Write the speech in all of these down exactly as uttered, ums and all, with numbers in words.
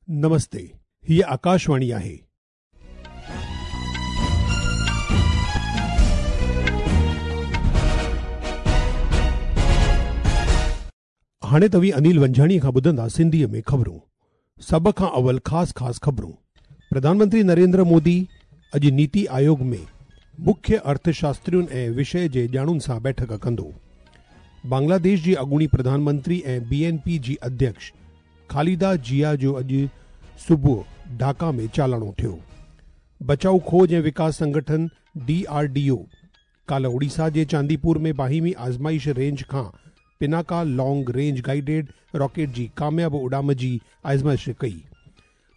नमस्ते, हीअ आकाशवाणी आहे। हाणे तव्हीं अनिल वंझाणी खां ॿुधंदा सिंधीअ में ख़बरूं। सभ खां अवल ख़ासि ख़ासि ख़बरूं। प्रधानमंत्री नरेंद्र मोदी अॼु नीति आयोग में मुख्य अर्थशास्त्रियुनि ऐं विषय जे ॼाणुनि सां बैठक कंदो। बांग्लादेश जी अॻूणी प्रधानमंत्री ऐं बी एन पी जी अध्यक्ष खालिदा जिया जो अॼु सुबुह ढाका में चालाणो थियो। बचाऊ खोज ऐं विकास संगठन डी आर डी ओ काल्ह ओडिशा जे चांदीपुर में बाहिमी आज़माइश रेंज खां Pinaka long range guided rocket जी कामयाब उॾाम जी आज़माइश कई।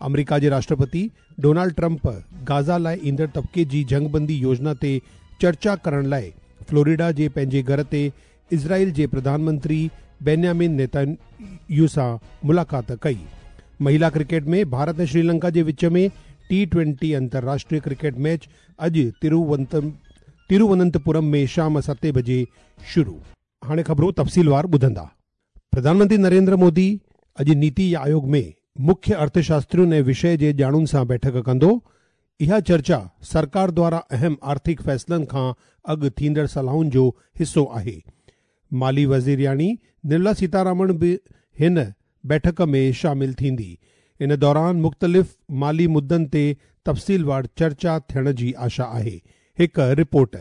अमेरिका जे राष्ट्रपति डोनाल्ड ट्रंप गाज़ा लाइ ईंदड़ तबिके जी जंगबंदी योजना ते चर्चा करण लाइ फ्लोरिडा जे पंहिंजे घर ते इज़राइल जे प्रधानमंत्री बेन्यामिन नेतन्याहू सां मुलाक़ात कई। महिला क्रिकेट में भारत ऐं श्रीलंका जे विच में टी ट्वेंटी अंतर्राष्ट्रीय क्रिकेट मैच अॼु तिरुवनंतपुरम में शाम सते बजे शुरू। हाणे ख़बरूं तफ़सीलवार ॿुधंदा। प्रधानमंत्री नरेंद्र मोदी अॼु नीति आयोग में मुख्य अर्थशास्त्रियुनि ऐं विषय जे ॼाणुनि सां बैठक कंदो। इहा चर्चा सरकार द्वारा अहम आर्थिक फ़ैसिलनि खां अॻु थींदड़ सलाहुनि जो हिसो आहे। माली वज़ीरियाणी निर्मला सीतारामन बि हिन बैठक में शामिल थींदी। इन दौरान मुख़्तलिफ़ माली मुद्दनि ते तफ़सीलवार चर्चा थियण जी आशा आहे। हिकु रिपोर्ट।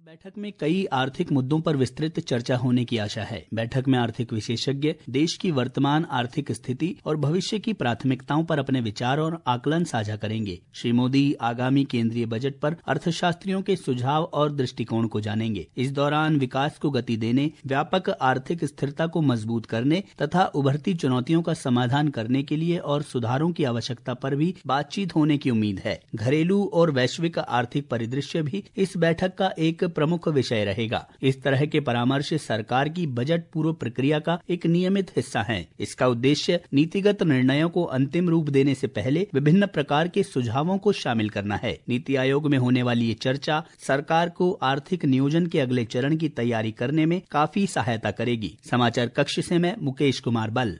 बैठक में कई आर्थिक मुद्दों पर विस्तृत चर्चा होने की आशा है। बैठक में आर्थिक विशेषज्ञ देश की वर्तमान आर्थिक स्थिति और भविष्य की प्राथमिकताओं पर अपने विचार और आकलन साझा करेंगे। श्री मोदी आगामी केंद्रीय बजट पर अर्थशास्त्रियों के सुझाव और दृष्टिकोण को जानेंगे। इस दौरान विकास को गति देने, व्यापक आर्थिक स्थिरता को मजबूत करने तथा उभरती चुनौतियों का समाधान करने के लिए और सुधारों की आवश्यकता पर भी बातचीत होने की उम्मीद है। घरेलू और वैश्विक आर्थिक परिदृश्य भी इस बैठक का एक प्रमुख विषय रहेगा। इस तरह के परामर्श सरकार की बजट पूर्व प्रक्रिया का एक नियमित हिस्सा हैं। इसका उद्देश्य नीतिगत निर्णयों को अंतिम रूप देने से पहले विभिन्न प्रकार के सुझावों को शामिल करना है। नीति आयोग में होने वाली ये चर्चा सरकार को आर्थिक नियोजन के अगले चरण की तैयारी करने में काफी सहायता करेगी। समाचार कक्ष से मैं मुकेश कुमार बल।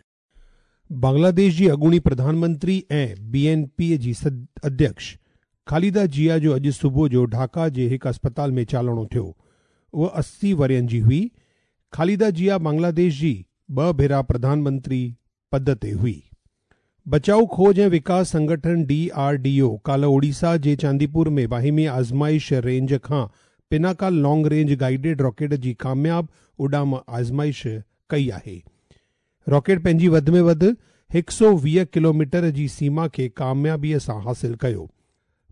बांग्लादेश जी अॻूणी प्रधानमंत्री ऐं बी एन पी जी अध्यक्ष खालिदा जिया जो अॼु सुबुह जो ढाका जे हिकु अस्पताल में चालणो थियो। उहा अस्सी वरियनि जी हुई। खालिदा जिया बांग्लादेश जी ॿ भेरा प्रधानमंत्री पद ते हुई। बचाऊ खोज ऐं विकास संगठन डी आर डी ओ काल्ह ओडिशा जे चांदीपुर में बाहिमी आज़माइश रेंज खां Pinaka long range guided rocket जी कामयाब उॾाम आज़माइश कई आहे। रॉकेट पंहिंजी वधि में वधि हिकु सौ वीह किलोमीटर जी सीमा खे कामयाबीअ सां हासिल कयो।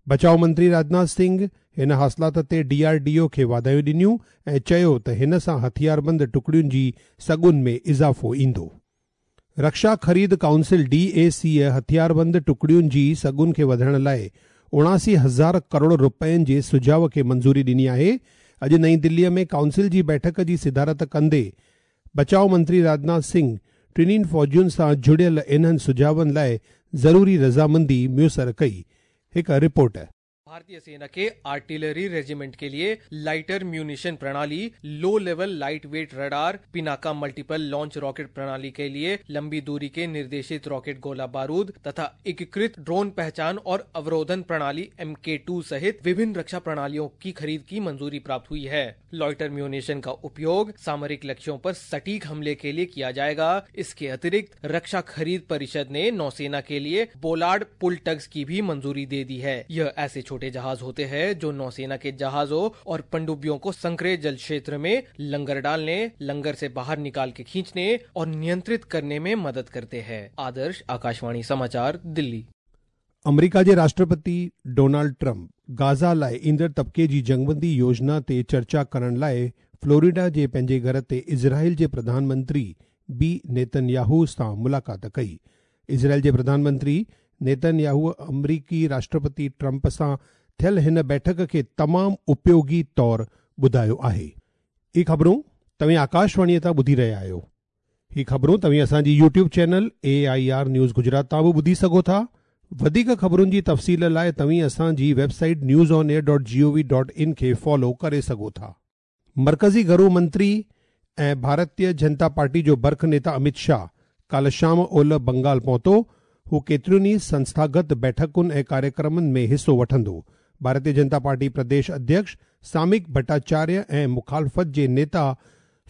बचाव मंत्री राजनाथ सिंह हिन हासिलात ते डी आर डी ओ खे वाधायूं ॾिनियूं ऐं चयो त हिन सां हथियारबंद टुकड़ियुनि जी सघुनि में इज़ाफ़ो ईंदो। रक्षा ख़रीद काउंसिल डी ए सी हथियारबंद टुकड़ियुनि जी सघुनि खे वधाइण लाइ उणासी हज़ार करोड़ रुपयनि जे सुझाव खे मंज़ूरी ॾिनी आहे। अॼु नई दिल्लीअ में काउंसिल जी बैठक जी सिदारत कंदे बचाव मंत्री राजनाथ सिंह टिन्हिनि फ़ौजियुनि सां जुड़ियल इन्हनि सुझावनि लाइ ज़रूरी रज़ामंदी मुयसर कई। एक रिपोर्ट। भारतीय सेना के आर्टिलरी रेजिमेंट के लिए लाइटर म्यूनिशन प्रणाली, low level light weight radar, Pinaka multiple launch rocket प्रणाली के लिए लंबी दूरी के निर्देशित रॉकेट गोला बारूद तथा एकीकृत ड्रोन पहचान और अवरोधन प्रणाली एम के टू सहित विभिन्न रक्षा प्रणालियों की खरीद की मंजूरी प्राप्त हुई है। लॉइटर म्यूनिशन का उपयोग सामरिक लक्ष्यों पर सटीक हमले के लिए किया जाएगा। इसके अतिरिक्त रक्षा खरीद परिषद ने नौसेना के लिए बोलार्ड पुल टग्स की भी मंजूरी दे दी है। यह ऐसे छोटे जहाज होते हैं जो नौसेना के जहाजों और पनडुब्बियों को संकरे जल क्षेत्र में लंगर डालने, लंगर से बाहर निकाल के खींचने और नियंत्रित करने में मदद करते हैं। आदर्श, आकाशवाणी समाचार, दिल्ली। अमेरिका जे राष्ट्रपति डोनाल्ड ट्रंप गाज़ा लाइ ईंदड़ तबिके जी जंगबंदी योजना ते चर्चा करण लाइ फ्लोरिडा जे पंहिंजे घर ते इज़राइल जे प्रधानमंत्री बी नेतन्याहू सां मुलाक़ात कई। इज़राइल जे प्रधानमंत्री नेतन्याहू अमरीकी राष्ट्रपति ट्रंप सां थियल हिन बैठक खे तमामु उपयोगी तौर ॿुधायो आहे। इहे ख़बरूं तव्हीं आकाशवाणीअ तां ॿुधी रहिया आहियो। ही ख़बरूं तव्हीं असांजी YouTube channel A I R news Gujarat तां बि ॿुधी सघो था। वधीक ख़बरुनि जी तफ़सील लाइ तव्हीं असांजी website news on air dot G O V dot in खे फॉलो करे सघो था। मरकज़ी घरू मंत्री ऐं भारतीय जनता पार्टी जो बर्ख नेता अमित शाह काल्ह शाम ओलह बंगाल पहुतो। हू केतिरियुनि ई संस्थागत बैठकुनि ऐं कार्यक्रमनि में हिसो वठंदो। भारतीय जनता पार्टी प्रदेश अध्यक्ष सामिक भट्टाचार्य ऐं मुखालफ़त जे नेता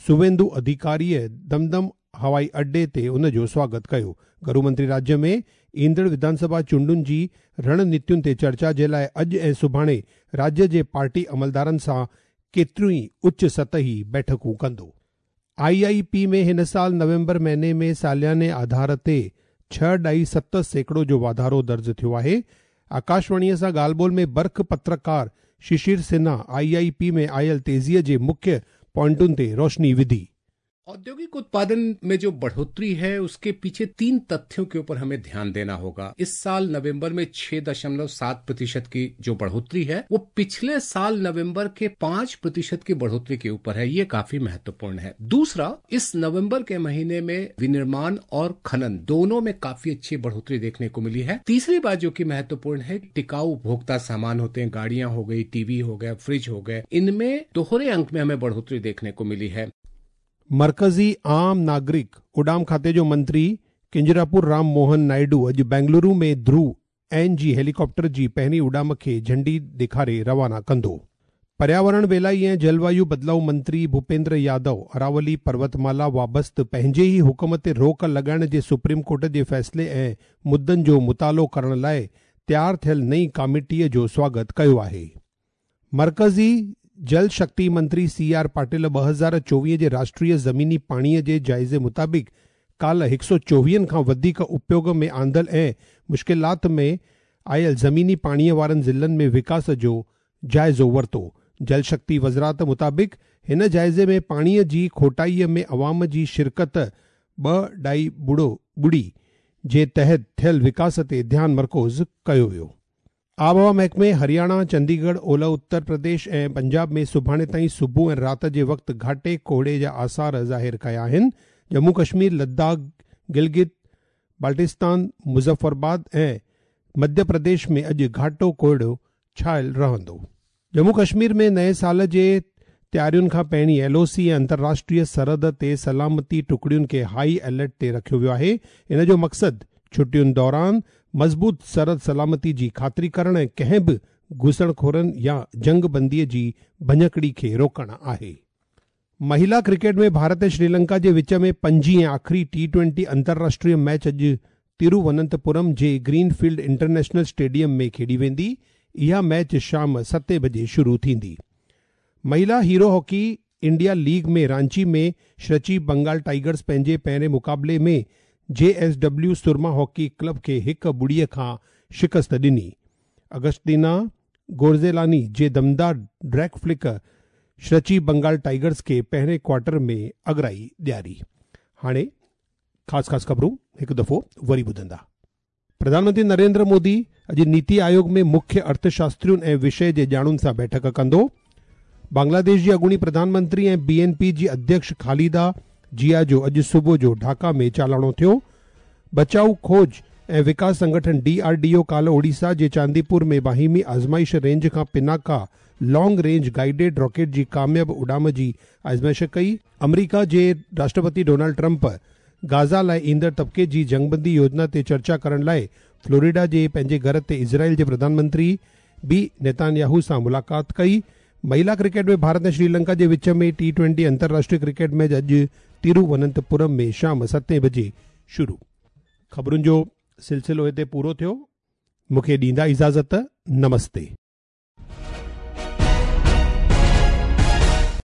सुवेंदु अधिकारीअ दमदम हवाई अड्डे ते उन जो स्वागत कयो। घरू मंत्री राज्य में ईंदड़ विधानसभा चूंडुनि जी रणनीतियुनि ते चर्चा जे लाइ अॼु ऐं सुभाणे राज्य जे पार्टी अमलदारनि सां केतिरियूं ई उच्च सतही बैठकूं कंदो। आई I P में हिन साल नवंबर महीने में सालियाने आधार ते छह ढाई सत सैकड़ो जो वाधारो दर्ज थियो आहे। आकाशवाणीअ सां ॻाल्हि ॿोल में बर्ख पत्रकार Shishir Sinha I I P में आयल तेज़ीअ जे मुख्य पॉइंटुनि ते रोशनी विधी। औद्योगिक उत्पादन में जो बढ़ोतरी है उसके पीछे तीन तथ्यों के ऊपर हमें ध्यान देना होगा। इस साल नवंबर में छह दशमलव सात प्रतिशत की जो बढ़ोतरी है वो पिछले साल नवंबर के पांच प्रतिशत की बढ़ोतरी के ऊपर है, ये काफी महत्वपूर्ण है। दूसरा, इस नवंबर के महीने में विनिर्माण और खनन दोनों में काफी अच्छी बढ़ोतरी देखने को मिली है। तीसरी बात जो कि महत्वपूर्ण है, टिकाऊ उपभोक्ता सामान होते हैं, गाड़ियां हो गई, टीवी हो गया, फ्रिज हो गए, इनमें दोहरे अंक में हमें बढ़ोतरी देखने को मिली है। मरकज़ी आम नागरिक उड़ाम खाते जो मंत्री किंजरापुर राम मोहन नायडू अॼु बेंगलुरु में ध्रुव एन जी हेलीकॉप्टर जी पहिरीं उड़ाम खे झंडी ॾेखारे रवाना कंदो। पर्यावरण वेलाई ऐं जलवायु बदिलाव मंत्री भूपेंद्र यादव अरावली पर्वतमाला वाबस्त पंहिंजे ई हुक्म ते रोक लॻाइण जे सुप्रीम कोर्ट जे फ़ैसिले ऐं मुद्दनि जो मुतालो करण लाइ तयार थियल नई कमेटीअ जो स्वागत कयो आहे। मरकज़ी जल शक्ति मंत्री सी आर पाटिल ॿ हज़ार चोवीह जे राष्ट्रीय ज़मीनी पाणीअ जे जाइज़े मुताबिक़ काल्ह हिकु सौ चोवीहनि खां वधीक उपयोग में आंदल ऐं मुश्किलात में आयल ज़मीनी पाणीअ वारनि ज़िलनि में विकास जो जाइज़ो वरितो। जल शक्ति वज़ारत मुताबिक़ हिन जाइज़े में पाणीअ जी खोटाईअ में अवाम जी शिरकत ॿ ढाई बुड़ो ॿुड़ी जे तहत थियल विकास ते ध्यानु मरकूज़ कयो वियो। आबहवा महकमे हरियाणा, चंडीगढ़, ओलह उत्तर प्रदेश ऐं पंजाब में सुभाणे ताईं सुबुह ऐं राति जे वक़्तु घाटे कोहड़े जा आसार ज़ाहिर कया आहिनि। जम्मू कश्मीर, लद्दाख, गिलगित बाल्टिस्तान, मुज़फ़्फ़राबाद ऐं मध्य प्रदेश में अॼु घाटो कोहड़ो छायल रहंदो। जम्मू कश्मीर में नए साल जे तयारियुनि खां पहिरीं एल ओ सी ऐं अंतर्राष्ट्रीय सरहद ते सलामती टुकड़ियुनि खे हाई अलर्ट ते रखियो वियो आहे। इन जो मक़सदु छुटियुनि दौरान मज़बूत सरहद सलामती जी ख़ातिरी करण ऐं कंहिं बि घुसणखोरनि या जंगबंदीअ जी भञकड़ी खे रोकणु आहे। महिला क्रिकेट में भारत ऐं श्रीलंका जे विच में पंजी ऐं आख़िरी टी ट्वेंटी अंतर्राष्ट्रीय मैच अॼु तिरुवनंतपुरम जे ग्रीनफील्ड इंटरनेशनल स्टेडियम में खेॾी वेंदी। इहा मैच शाम सतें बजे शुरू थींदी। महिला हीरो हॉकी इंडिया लीग में रांची में श्रची बंगाल टाइगर्स पंहिंजे पहिरें मुक़ाबले में J S W Surma hockey club खे हिकु ॿुड़ीअ खां शिकस्त ॾिनी। अगस्टिना गोर्जेलानी जे दमदार ड्रैग फ्लिक श्रची बंगाल टाइगर्स खे पहिरें क्वार्टर में अगराई ॾियारी। हाणे ख़ासि ख़ासि ख़बरूं हिकु दफ़ो वरी ॿुधंदा। प्रधानमंत्री नरेंद्र मोदी अॼु नीति आयोग में मुख्य अर्थशास्त्रियुनि ऐं विषय जे ॼाणुनि सां बैठक कंदो। बांग्लादेश जी अॻूणी प्रधानमंत्री ऐं बी एन पी जी अध्यक्ष खालिदा जिया जो अॼु सुबुह जो ढाका में चालाणो थियो। बचाऊ खोज ऐं विकास संगठन डी आर डी ओ काल्ह ओडिशा जे चांदीपुर में बाहिमी आज़माइश रेंज खां Pinaka long range guided rocket जी कामयाब उड़ाम जी आज़माइश कई। अमरीका जे राष्ट्रपति डोनाल्ड ट्रंप गाज़ा लाइ ईंदड़ तबिके जी जंगबंदी योजना ते चर्चा करण लाइ फ्लोरिडा जे पंहिंजे घर ते इज़राइल जे प्रधानमंत्री बी नेतान्याहू सां मुलाक़ात कई। महिला क्रिकेट में भारत ऐं श्रीलंका जे विच में टी ट्वेंटी अंतर्राष्ट्रीय क्रिकेट मैच अॼु तिरुवनंतपुरम में शाम सतें बजे शुरू। ख़बरुनि जो सिलसिलो हिते पूरो थियो। मूंखे ॾींदा इजाज़त। नमस्ते।